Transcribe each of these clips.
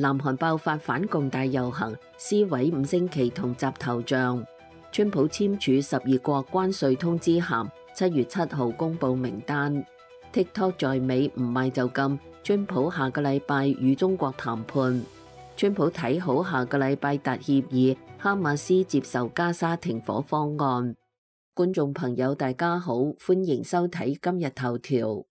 南韓爆發反共大遊行，撕毀五星旗同集頭像。川普簽署12國關稅通知函，7月7號公佈名單。TikTok 在美唔賣就禁，川普下個禮拜與中國談判。川普睇好下個禮拜達協議，哈馬斯接受加沙停火方案。觀眾朋友大家好，歡迎收睇今日頭條。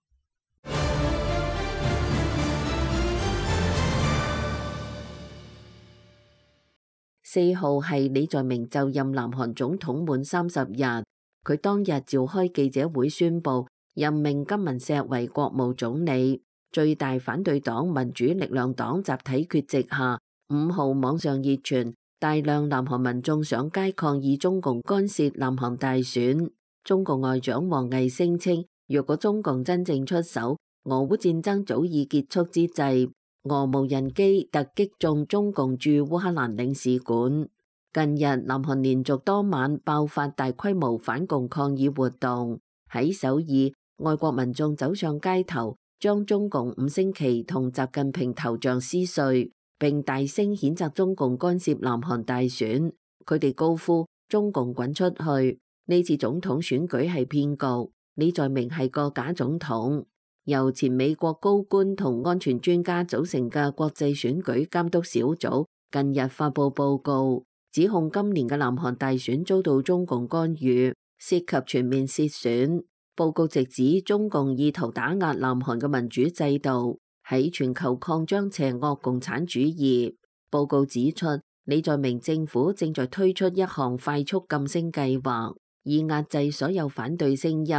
4號係李在明就任南韓總統滿30日，佢當日召開記者會宣布任命金文錫為國務總理。最大反對黨民主力量黨集體缺席下，5號網上熱傳大量南韓民眾上街抗議中共干涉南韓大選。中共外長王毅聲稱，若果中共真正出手，俄烏戰爭早已結束之際，俄無人機突擊中中共駐烏克蘭領事館。近日，南韓連續多晚爆發大規模反共抗議活動。喺首爾，外國民眾走上街頭，將中共五星旗同習近平頭像撕碎，並大聲譴責中共干涉南韓大選。佢哋高呼中共滾出去！呢次總統選舉係騙局，李在明係個假總統。由前美國高官同安全專家組成嘅國際選舉監督小組近日發布報告，指控今年嘅南韓大選遭到中共干預，涉及全面竊選。報告直指中共意圖打壓南韓嘅民主制度，喺全球擴張邪惡共產主義。報告指出，李在明政府正在推出一項快速噤聲計劃，以壓制所有反對聲音，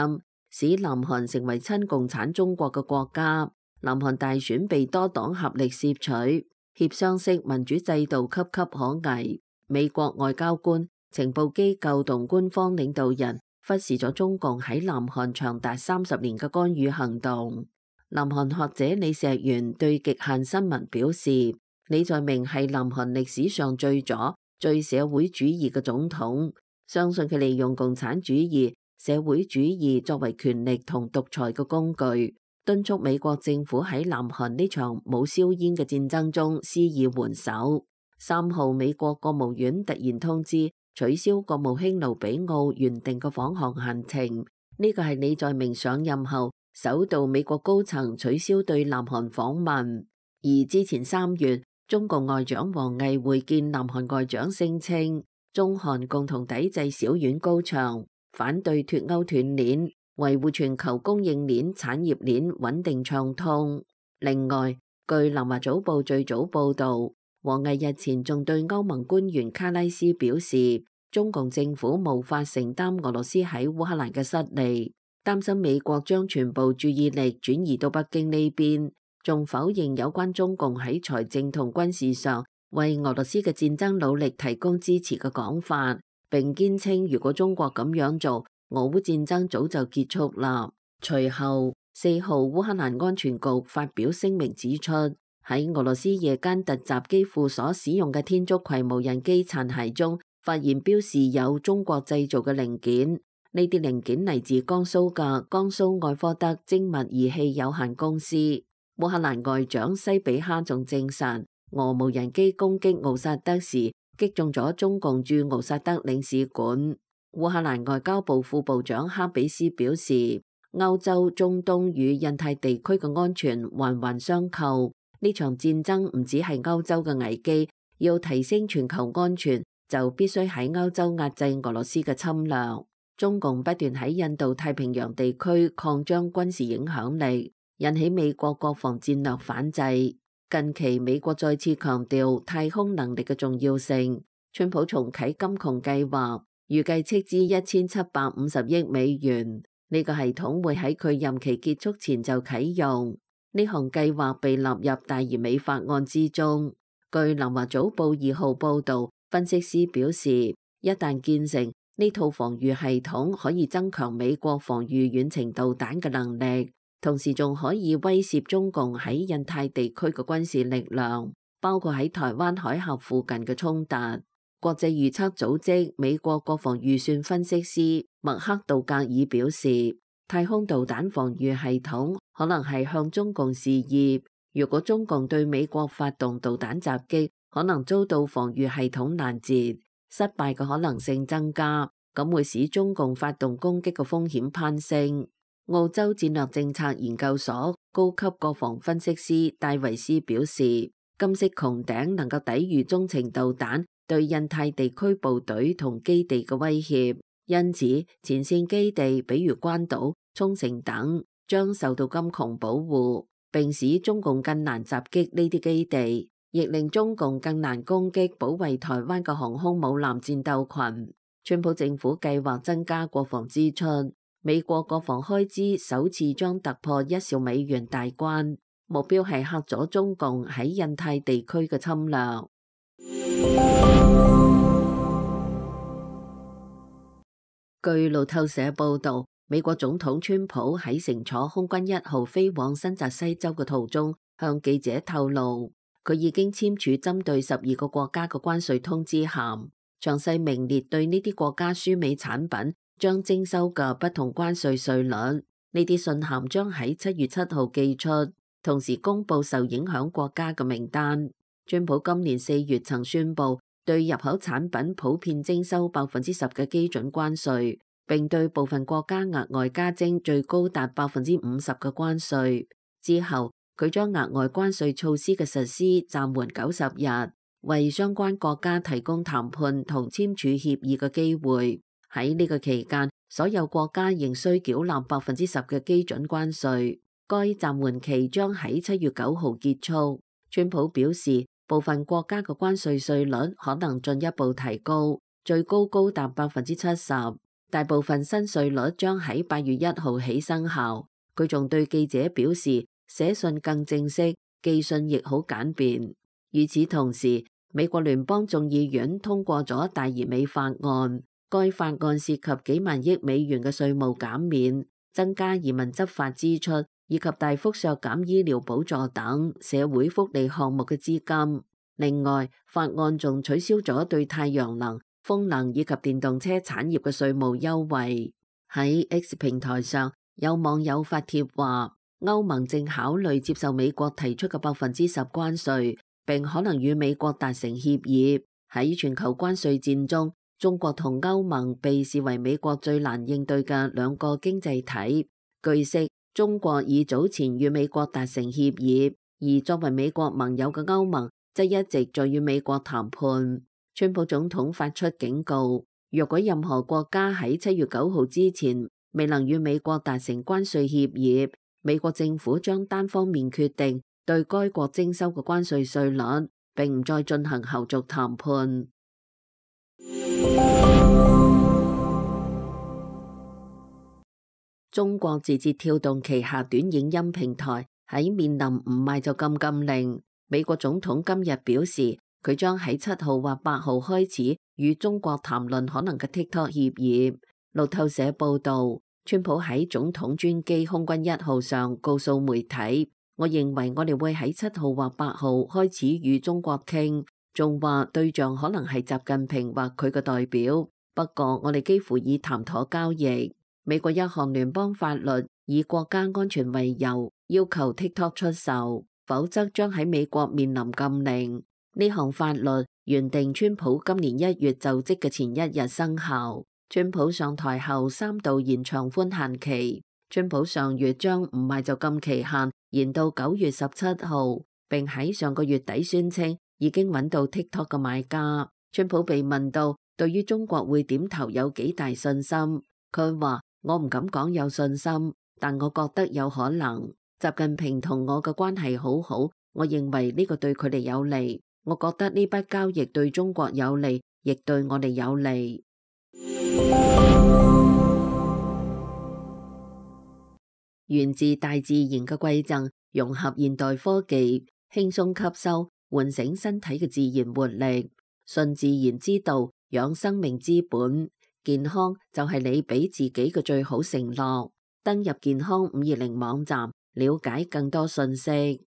使南韓成為親共產中國嘅國家。南韓大選被多黨合力攝取，協商式民主制度岌岌可危。美國外交官、情報機構同官方領導人忽視咗中共喺南韓長達30年嘅干預行動。南韓學者李石元對極限新聞表示，李在明係南韓歷史上最左、最社會主義嘅總統，相信佢利用共產主義、社會主義作為權力同獨裁嘅工具，敦促美國政府喺南韓呢場冇硝煙嘅戰爭中施以援手。3號，美國國務院突然通知取消國務卿盧比奧原定嘅訪韓行程，呢個係李在明上任後首度美國高層取消對南韓訪問。而之前3月，中共外長王毅會見南韓外長，聲稱中韓共同抵制小院高牆，反對脫鈎斷鏈，維護全球供應鏈、產業鏈穩定暢通。另外，據南華早報最早報導，王毅日前仲對歐盟官員卡拉斯表示，中共政府無法承擔俄羅斯喺烏克蘭嘅失利，擔心美國將全部注意力轉移到北京呢邊，仲否認有關中共喺財政同軍事上為俄羅斯嘅戰爭努力提供支持嘅講法，並堅稱如果中國咁樣做，俄烏戰爭早就結束啦。隨後4號，烏克蘭安全局發表聲明指出，喺俄羅斯夜間突襲基輔所使用嘅天竺葵無人機殘骸中，發現標示有中國製造嘅零件，呢啲零件嚟自江蘇嘅江蘇愛科德精密儀器有限公司。烏克蘭外長西比哈仲證實，俄無人機攻擊敖薩德時擊中咗中共駐敖薩德領事館。烏克蘭外交部副部長哈比斯表示，歐洲、中東與印太地區嘅安全環環相扣。呢場戰爭唔只係歐洲嘅危機，要提升全球安全，就必須喺歐洲壓制俄羅斯嘅侵略。中共不斷喺印度太平洋地區擴張軍事影響力，引起美國國防戰略反制。近期美國再次強調太空能力嘅重要性。川普重啟金窮計劃，預計斥資1750億美元。呢個系統會喺佢任期結束前就啟用。呢項計劃被納入大而美法案之中。據南華早報2號報導，分析師表示，一旦建成，呢套防禦系統可以增強美國防禦遠程導彈嘅能力，同時仲可以威懾中共喺印太地區嘅軍事力量，包括喺台灣海峽附近嘅衝突。國際預測組織美國國防預算分析師麥克道格爾表示，太空導彈防禦系統可能係向中共示意，如果中共對美國發動導彈襲擊，可能遭到防禦系統攔截，失敗嘅可能性增加，咁會使中共發動攻擊嘅風險攀升。澳洲戰略政策研究所高級國防分析師戴維斯表示，金色穹頂能夠抵禦中程導彈對印太地區部隊同基地嘅威脅，因此前線基地比如關島、沖繩等將受到金穹保護，並使中共更難襲擊呢啲基地，亦令中共更難攻擊保衛台灣嘅航空母艦戰鬥群。川普政府計劃增加國防支出，美國國防開支首次將突破1兆美元大關，目標係嚇阻中共喺印太地區嘅侵略。據路透社報導，美國總統川普喺乘坐空軍1號飛往新澤西州嘅途中，向記者透露，佢已經簽署針對12個國家嘅關稅通知函，詳細明列對呢啲國家輸美產品將徵收嘅不同關稅稅率。呢啲信函將喺7月7號寄出，同時公佈受影響國家嘅名單。川普今年4月曾宣布對入口產品普遍徵收10%嘅基準關稅，並對部分國家額外加徵最高達50%嘅關稅。之後，佢將額外關稅措施嘅實施暫緩90日，為相關國家提供談判同簽署協議嘅機會。喺呢個期間，所有國家仍需繳納10%嘅基準關稅。該暫緩期將喺7月9號結束。川普表示，部分國家嘅關稅稅率可能進一步提高，最高高達70%。大部分新稅率將喺8月1號起生效。佢仲對記者表示，寫信更正式，寄信亦好簡便。與此同時，美國聯邦眾議院通過咗大移美法案。該法案涉及幾萬億美元嘅稅務減免、增加移民執法支出以及大幅削減醫療補助等社會福利項目嘅資金。另外，法案仲取消咗對太陽能、風能以及電動車產業嘅稅務優惠。喺 X 平台上，有網友發帖話，歐盟正考慮接受美國提出嘅10%關稅，並可能與美國達成協議。喺全球關稅戰中，中國同歐盟被視為美國最難應對嘅兩個經濟體。據悉，中國已早前與美國達成協議，而作為美國盟友嘅歐盟則一直在與美國談判。川普總統發出警告，若果任何國家喺7月9號之前未能與美國達成關稅協議，美國政府將單方面決定對該國徵收嘅關稅稅率，並唔再進行後續談判。中國字節跳動旗下短影音平台喺面臨唔賣就禁令，美國總統今日表示，佢將喺7號或8號開始與中國談論可能嘅 TikTok 協議。路透社報道，川普喺總統專機空軍1號上告訴媒體，我認為我哋會喺7號或8號開始與中國傾，仲話對象可能係習近平或佢嘅代表，不過我哋幾乎已談妥交易。美國一項聯邦法律以國家安全為由，要求 TikTok 出售，否則將喺美國面臨禁令。呢項法律原定川普今年1月就職嘅前1日生效。川普上台後3度延長寬限期。川普上月將唔賣就禁期限延到9月17號，並喺上個月底宣稱已經揾到 TikTok 嘅買家。川普被問到對於中國會點投有幾大信心，佢話：我唔敢講有信心，但我覺得有可能。習近平同我嘅關係好好，我認為呢個對佢哋有利。我覺得呢筆交易對中國有利，亦對我哋有利。源自大自然嘅饋贈，融合現代科技，輕鬆吸收，喚醒身體嘅自然活力。順自然之道，養生命之本。健康就係你俾自己嘅最好承諾。登入健康520網站，了解更多信息。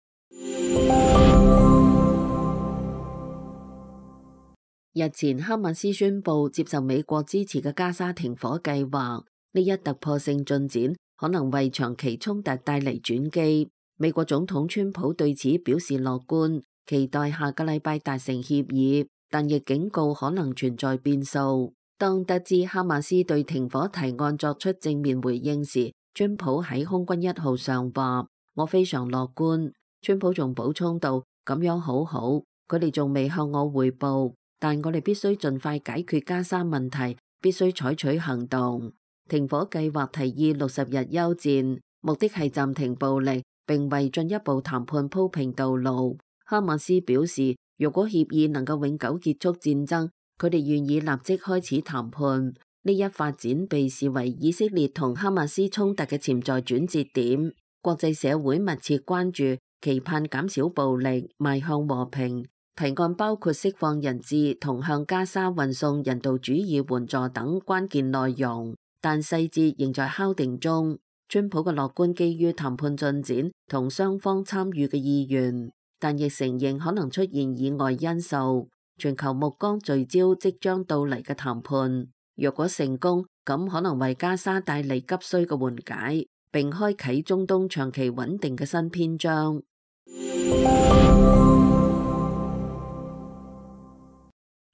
日前，哈馬斯宣布接受美國支持嘅加沙停火計劃，呢一突破性進展可能為長期衝突帶嚟轉機。美國總統川普對此表示樂觀，期待下個禮拜達成協議，但亦警告可能存在變數。當得知哈馬斯對停火提案作出正面回應時，川普喺空軍1號上話：我非常樂觀。川普仲補充道：咁樣好好，佢哋仲未向我匯報，但我哋必須盡快解決加沙問題，必須採取行動。停火計劃提議60日休戰，目的係暫停暴力，並為進一步談判鋪平道路。哈馬斯表示，如果協議能夠永久結束戰爭，佢哋願意立即開始談判。呢一發展被視為以色列同哈馬斯衝突嘅潛在轉折點。國際社會密切關注，期盼減少暴力，邁向和平。提案包括釋放人質同向加沙運送人道主義援助等關鍵內容，但細節仍在敲定中。川普嘅樂觀基於談判進展同雙方參與嘅意願，但亦承認可能出現意外因素。全球目光聚焦即將到嚟嘅談判，若果成功，咁可能為加沙帶嚟急需嘅緩解，並開啟中東長期穩定嘅新篇章。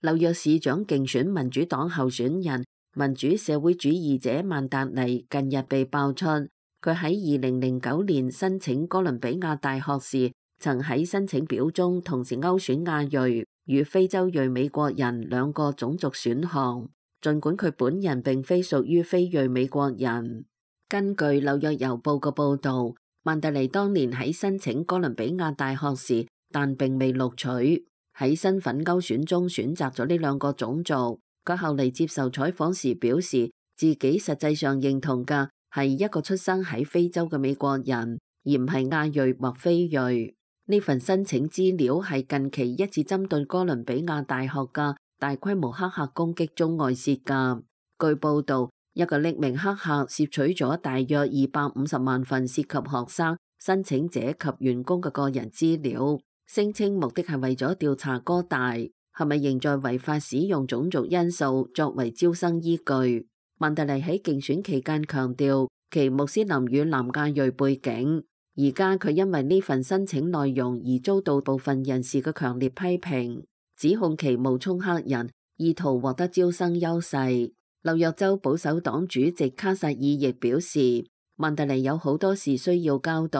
紐約市長競選民主黨候選人民主社會主義者曼達尼近日被爆出，佢喺2009年申請哥倫比亞大學時，曾喺申請表中同時勾選亞裔與非洲裔美國人兩個種族選項，儘管佢本人並非屬於非裔美國人。根據紐約郵報嘅報導，曼達尼當年喺申請哥倫比亞大學時，但並未錄取，喺身份勾選中選擇咗呢兩個種族。佢後嚟接受採訪時表示，自己實際上認同嘅係一個出生喺非洲嘅美國人，而唔係亞裔或非裔。呢份申請資料係近期一次針對哥倫比亞大學嘅大規模黑客攻擊中外泄㗎。據報導，一個匿名黑客竊取咗大約250萬份涉及學生、申請者及員工嘅個人資料，聲稱目的係為咗調查哥大係咪仍在違法使用種族因素作為招生依據。曼達尼喺競選期間強調其穆斯林與南亞裔背景。而家佢因為呢份申請內容而遭到部分人士嘅強烈批評，指控其冒充黑人，意圖獲得招生優勢。紐約州保守黨主席卡薩爾亦表示，曼達尼有好多事需要交代，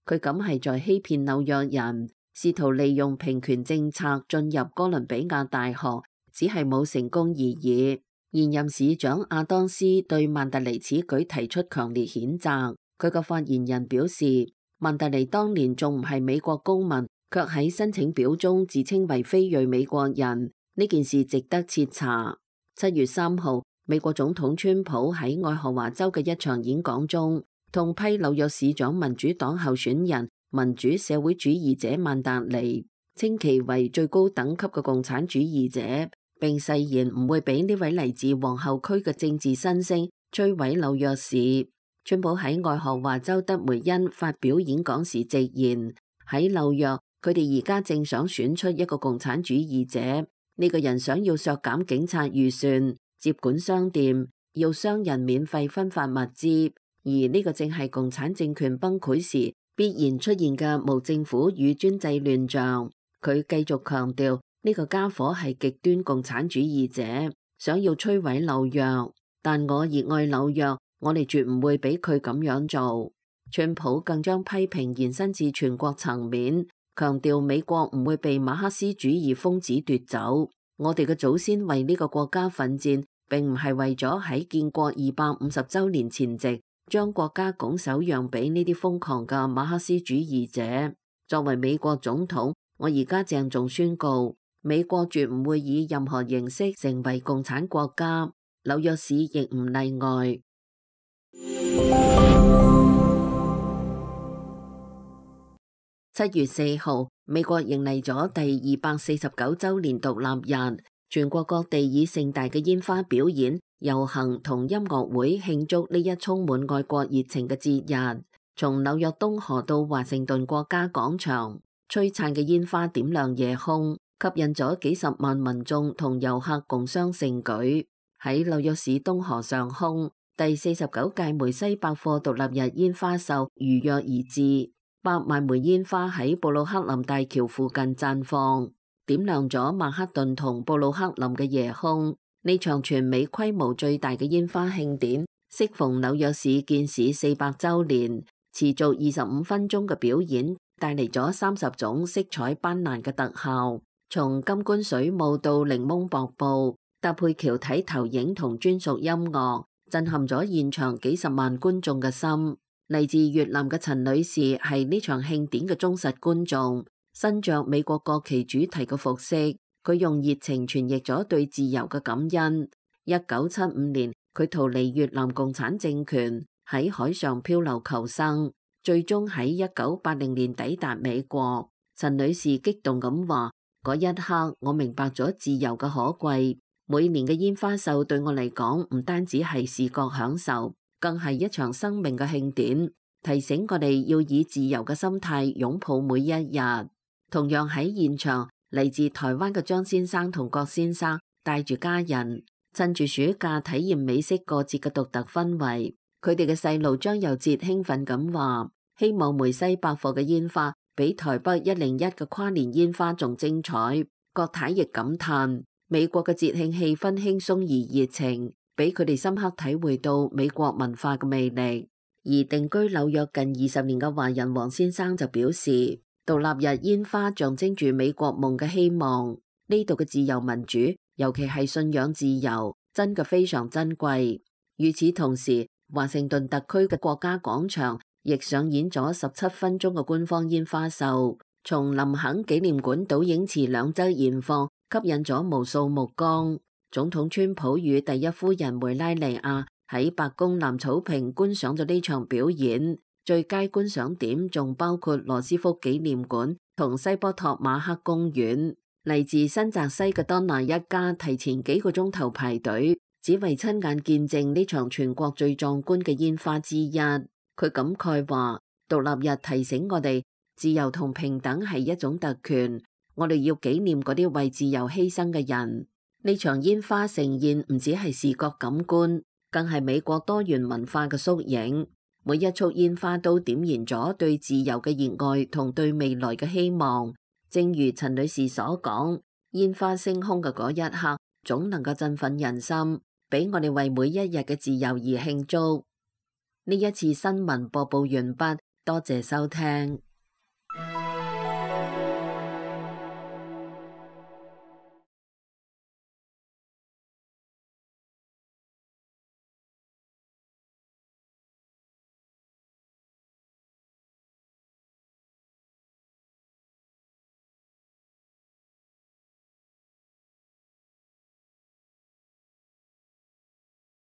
佢咁係在欺騙紐約人，試圖利用平權政策進入哥倫比亞大學，只係冇成功而已。現任市長亞當斯對曼達尼此舉提出強烈譴責。佢個發言人表示，曼達尼當年仲唔係美國公民，卻喺申請表中自稱為非裔美國人，呢件事值得徹查。7月3號，美國總統川普喺愛荷華州嘅一場演講中，痛批紐約市長民主黨候選人民主社會主義者曼達尼，稱其為最高等級嘅共產主義者，並誓言唔會俾呢位嚟自皇后區嘅政治新星摧毀紐約市。川普喺愛荷華州德梅恩發表演講時直言，喺紐約佢哋而家正想選出一個共產主義者，呢個人想要削減警察預算，接管商店，要商人免費分發物資，而呢個正係共產政權崩潰時必然出現嘅無政府與專制亂象。佢繼續強調，呢個家伙係極端共產主義者，想要摧毀紐約，但我熱愛紐約。我哋絕唔會俾佢咁樣做。川普更將批評延伸至全國層面，強調美國唔會被馬克思主義瘋子奪走。我哋嘅祖先為呢個國家奮戰，並唔係為咗喺建國250週年前夕將國家拱手讓俾呢啲瘋狂嘅馬克思主義者。作為美國總統，我而家鄭重宣告，美國絕唔會以任何形式成為共產國家，紐約市亦唔例外。7月4號，美國迎嚟咗第249週年獨立日，全國各地以盛大嘅煙花表演、遊行同音樂會慶祝呢一充滿愛國熱情嘅節日。從紐約東河到華盛頓國家廣場，璀璨嘅煙花點亮夜空，吸引咗幾十萬民眾同遊客共襄盛舉。喺紐約市東河上空，第49屆梅西百貨獨立日煙花秀如約而至。100萬枚煙花喺布魯克林大橋附近綻放，點亮咗曼克頓同布魯克林嘅夜空。呢場全美規模最大嘅煙花慶典，適逢紐約市建市400週年，持續25分鐘嘅表演，帶嚟咗30種色彩斑斕嘅特效，從金冠水舞到檸檬瀑布，搭配橋體投影同專屬音樂，震撼咗現場幾十萬觀眾嘅心。嚟自越南嘅陳女士係呢場慶典嘅忠實觀眾，身着美國國旗主題嘅服飾，佢用熱情傳譯咗對自由嘅感恩。1975年，佢逃離越南共產政權，喺海上漂流求生，最終喺1980年抵達美國。陳女士激動咁話：嗰一刻，我明白咗自由嘅可貴。每年嘅煙花秀對我嚟講，唔單止係視覺享受，更係一場生命嘅慶典，提醒我哋要以自由嘅心態擁抱每一日。同樣喺現場，嚟自台灣嘅張先生同郭先生帶住家人，趁住暑假體驗美式過節嘅獨特氛圍。佢哋嘅細路張又哲興奮咁話：希望梅西百貨嘅煙花比台北101嘅跨年煙花仲精彩。郭太亦感嘆美國嘅節慶氣氛輕鬆而熱情，俾佢哋深刻體會到美國文化嘅魅力。而定居紐約近20年嘅華人黃先生就表示，獨立日煙花象徵住美國夢嘅希望。呢度嘅自由民主，尤其係信仰自由，真嘅非常珍貴。與此同時，華盛頓特區嘅國家廣場亦上演咗17分鐘嘅官方煙花秀，從林肯紀念館倒影池兩側燃放，吸引咗無數目光。總統川普與第一夫人梅拉尼亞喺白宮南草坪觀賞咗呢場表演，最佳觀賞點仲包括羅斯福紀念館同西波托馬克公園。嚟自新澤西嘅當娜一家提前幾個鐘頭排隊，只為親眼見證呢場全國最壯觀嘅煙花之一。佢感慨話：獨立日提醒我哋，自由同平等係一種特權，我哋要紀念嗰啲為自由犧牲嘅人。呢場煙花盛宴唔只係視覺感官，更係美國多元文化嘅縮影。每一束煙花都點燃咗對自由嘅熱愛同對未來嘅希望。正如陳女士所講，煙花升空嘅嗰一刻，總能夠振奮人心，俾我哋為每一日嘅自由而慶祝。呢一次新聞播報完畢，多謝收聽。